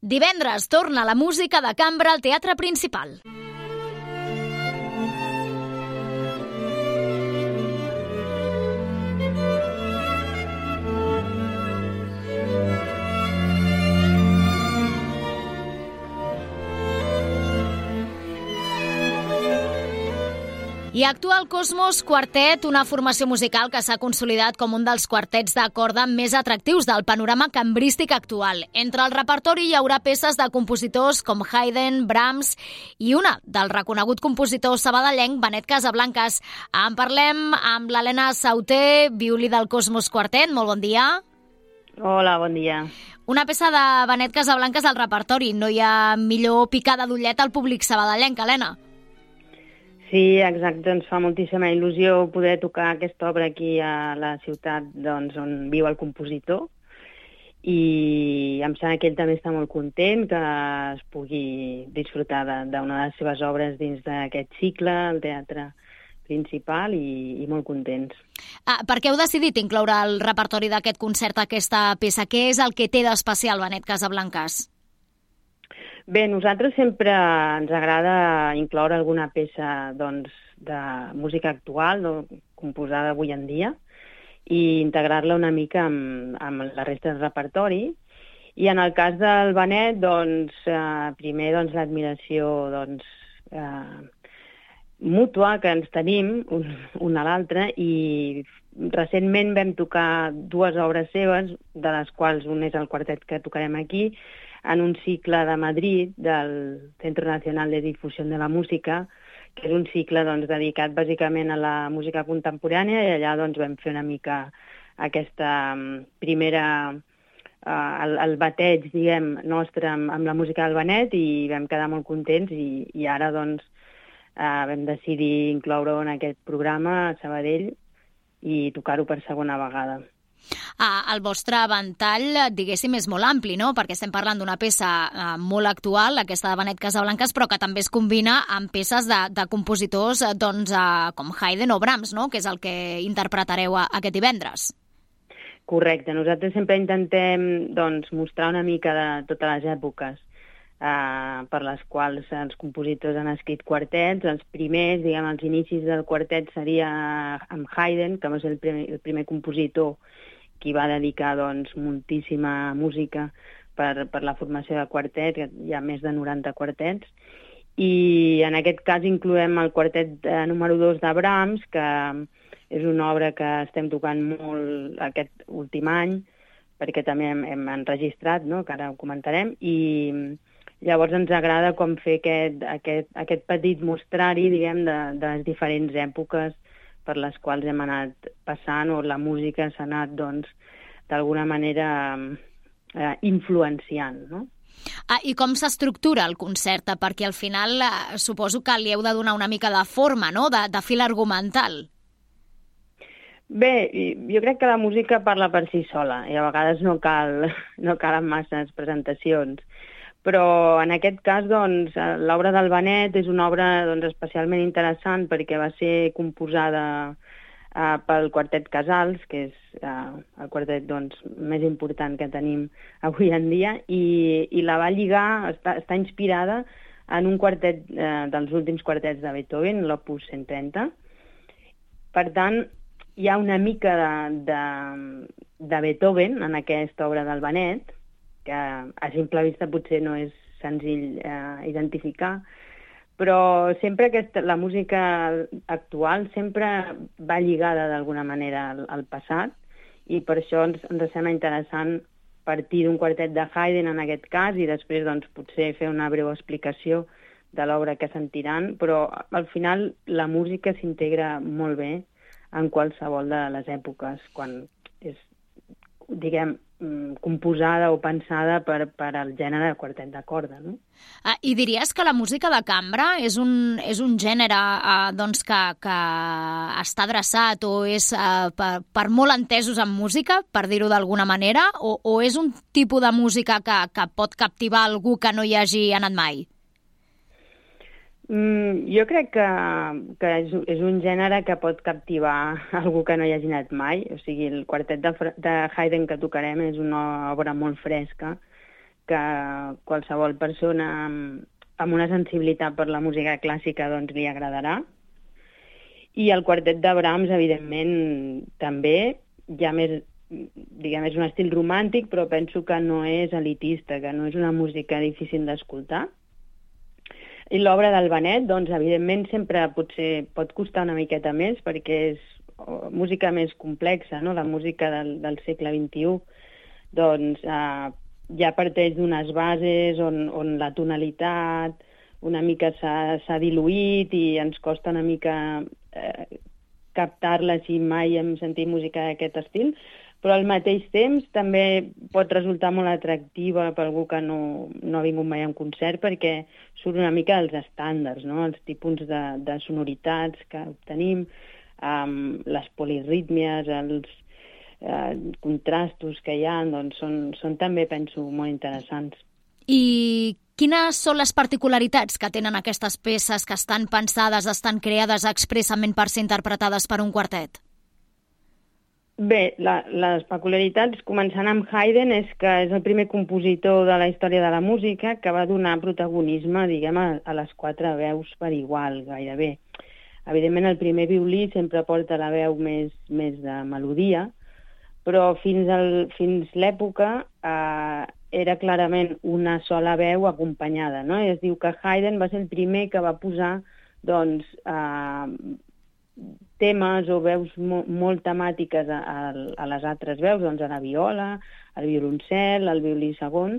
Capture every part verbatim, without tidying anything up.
Divendres torna la música de cambra al Teatre Principal. I actua el Cosmos Quartet, una formació musical que s'ha consolidat com un dels quartets de corda més atractius del panorama cambrístic actual. Entre el repertori hi haurà peces de compositors com Haydn, Brahms i una del reconegut compositor sabadellenc Benet Casablancas. En parlem amb l'Helena Sauter, violí del Cosmos Quartet. Molt bon dia. Hola, bon dia. Una peça de Benet Casablancas al repertori. No hi ha millor picada d'ullet al públic sabadellenc, Helena. Sí, exacte, ens fa moltíssima il·lusió poder tocar aquesta obra aquí a la ciutat doncs, on viu el compositor, i em sembla que ell també està molt content que es pugui disfrutar d'una de les seves obres dins d'aquest cicle, el Teatre Principal, i, i molt contents. Ah, per què heu decidit incloure al repertori d'aquest concert aquesta peça? Què és el que té d'especial Benet Casablancas? Bé, nosaltres sempre ens agrada incloure alguna peça doncs, de música actual, no, composada avui en dia, i integrar-la una mica amb, amb la resta del repertori. I en el cas del Benet, doncs, eh, primer doncs, l'admiració doncs, eh, mútua que ens tenim un, un a l'altre, i recentment vam tocar dues obres seves, de les quals un és el quartet que tocarem aquí, en un cicle de Madrid del Centro Nacional de Difusión de la Música, que és un cicle doncs, dedicat bàsicament a la música contemporània, i allà doncs, vam fer una mica aquesta primera, uh, el, el bateig, diguem, nostre amb, amb la música del Benet, i vam quedar molt contents, i, i ara doncs, uh, vam decidir incloure-ho en aquest programa a Sabadell i tocar-ho per segona vegada. Ah, el vostre ventall, diguéssim, és molt ampli, no? Perquè estem parlant d'una peça eh, molt actual, aquesta de Benet Casablancas, però que també es combina amb peces de, de compositors eh, doncs, eh, com Haydn o Brahms, no? Que és el que interpretareu a, aquest divendres. Correcte. Nosaltres sempre intentem doncs, mostrar una mica de totes les èpoques eh, per les quals els compositors han escrit quartets. Els primers, diguem, els inicis del quartet seria amb Haydn, que va ser el primer, el primer compositor qui va dedicar doncs, moltíssima música per, per la formació de quartet, que hi ha més de noranta quartets, i en aquest cas incloem el quartet eh, número dos de Brahms, que és una obra que estem tocant molt aquest últim any, perquè també hem, hem enregistrat, no?, que ara ho comentarem, i llavors ens agrada com fer aquest, aquest, aquest petit mostrari, diguem, de, de les diferents èpoques per les quals hem anat passant, o la música s'ha anat, doncs, d'alguna manera eh, influenciant, no? Ah, i com s'estructura el concert? Perquè al final eh, suposo que li heu de donar una mica de forma, no?, de, de fil argumental. Bé, jo crec que la música parla per si sola, i a vegades no cal, no calen masses presentacions. Però en aquest cas, doncs, l'obra del Benet és una obra doncs, especialment interessant perquè va ser composada uh, pel Quartet Casals, que és uh, el quartet doncs, més important que tenim avui en dia, i, i la va lligar, està, està inspirada en un quartet uh, dels últims quartets de Beethoven, l'Opus cent trenta. Per tant, hi ha una mica de, de, de Beethoven en aquesta obra del Benet, que a simple vista potser no és senzill eh, identificar, però sempre aquesta, la música actual sempre va lligada d'alguna manera al, al passat, i per això ens, ens sembla interessant partir d'un quartet de Haydn en aquest cas, i després doncs, potser fer una breu explicació de l'obra que sentiran, però al final la música s'integra molt bé en qualsevol de les èpoques, quan és, diguem, composada o pensada per, per al gènere de quartet de corda, no? Ah, I diries que la música de cambra és un, és un gènere eh, doncs que, que està adreçat o és eh, per, per molt entesos en música, per dir-ho d'alguna manera, o, o és un tipus de música que, que pot captivar algú que no hi hagi anat mai? Mm, jo crec que, que és, és un gènere que pot captivar algú que no hi hagi anat mai. O sigui, el quartet de, de Haydn que tocarem és una obra molt fresca, que qualsevol persona amb, amb una sensibilitat per la música clàssica doncs, li agradarà. I el quartet de Brahms, evidentment, també, ja més, diguem, és un estil romàntic, però penso que no és elitista, que no és una música difícil d'escoltar. I l'obra del Benet, doncs, evidentment, sempre potser pot costar una miqueta més, perquè és música més complexa, no? La música del, del segle vint-i-u, doncs, eh, ja parteix d'unes bases on, on la tonalitat una mica s'ha diluït i ens costa una mica eh, captar-la si mai hem sentit música d'aquest estil, però al mateix temps també pot resultar molt atractiva per algú que no, no ha vingut mai a un concert, perquè surt una mica dels estàndards, no? Els tipus de, de sonoritats que obtenim, um, les polirítmies, els eh, contrastos que hi ha, doncs són, són també, penso, molt interessants. I quines són les particularitats que tenen aquestes peces que estan pensades, estan creades expressament per ser interpretades per un quartet? Bé, la, les peculiaritats, començant amb Haydn, és que és el primer compositor de la història de la música que va donar protagonisme, diguem, a, a les quatre veus per igual, gairebé. Evidentment, el primer violí sempre porta la veu més, més de melodia, però fins, al, fins l'època eh, era clarament una sola veu acompanyada, no? I es diu que Haydn va ser el primer que va posar, doncs, eh, temes o veus mo molt temàtiques a, a, a les altres veus, doncs a la viola, al violoncel, al violí segon,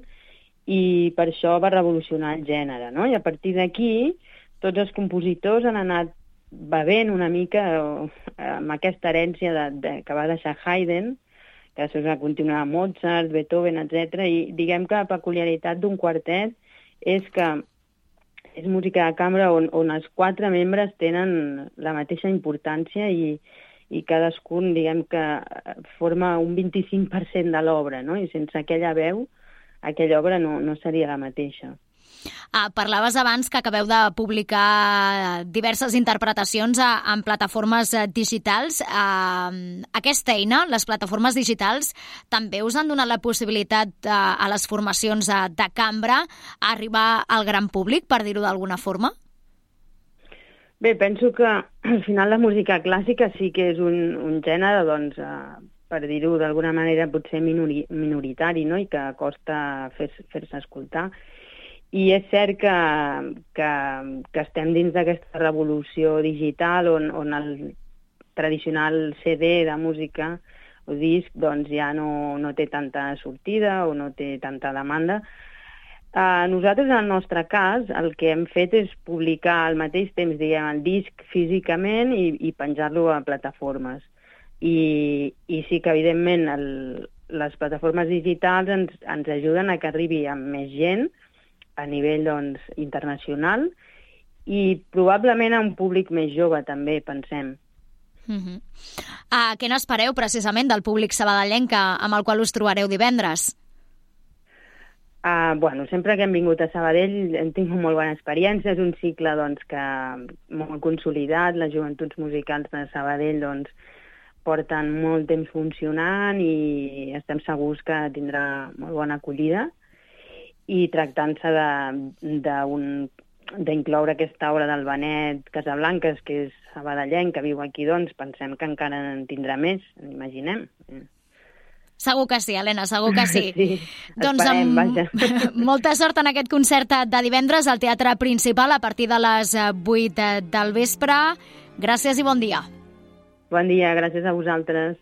i per això va revolucionar el gènere, no? I a partir d'aquí, tots els compositors han anat bevent una mica amb aquesta herència de, de, que va deixar Haydn, que després va continuar Mozart, Beethoven, etcètera. I diguem que la peculiaritat d'un quartet és que és música de cambra on, on els quatre membres tenen la mateixa importància i, i cadascun, diguem que forma un vint-i-cinc per cent de l'obra, no? I sense aquella veu, aquella obra no, no seria la mateixa. Ah, parlaves abans que acabeu de publicar diverses interpretacions a, en plataformes digitals. Ah, aquesta eina, les plataformes digitals, també us han donat la possibilitat a, a les formacions de, de cambra a arribar al gran públic, per dir-ho d'alguna forma? Bé, penso que al final la música clàssica sí que és un, un gènere, doncs, eh, per dir-ho d'alguna manera, potser minori, minoritari, no? I que costa fer-se fer escoltar. I és cert que, que, que estem dins d'aquesta revolució digital on, on el tradicional C D de música o disc doncs ja no, no té tanta sortida o no té tanta demanda. Uh, nosaltres, en el nostre cas, el que hem fet és publicar al mateix temps, diguem, el disc físicament i, i penjar-lo a plataformes. I, i sí que, evidentment, el, les plataformes digitals ens, ens ajuden a que arribi a més gent a nivell, doncs, internacional i probablement a un públic més jove, també, pensem. Uh-huh. uh, què n'espereu, precisament, del públic sabadellenc amb el qual us trobareu divendres? Uh, bueno, sempre que hem vingut a Sabadell hem tingut molt bona experiència. És un cicle, doncs, que molt consolidat. Les joventuts musicals de Sabadell, doncs, porten molt temps funcionant i estem segurs que tindrà molt bona acollida. I tractant-se d'incloure aquesta obra del Benet Casablancas, que és sabadellenc, que viu aquí, doncs pensem que encara en tindrà més, imaginem. Segur que sí, Helena, segur que sí. Sí, doncs esperem, amb... vaja. Molta sort en aquest concert de divendres al Teatre Principal a partir de les vuit del vespre. Gràcies i bon dia. Bon dia, gràcies a vosaltres.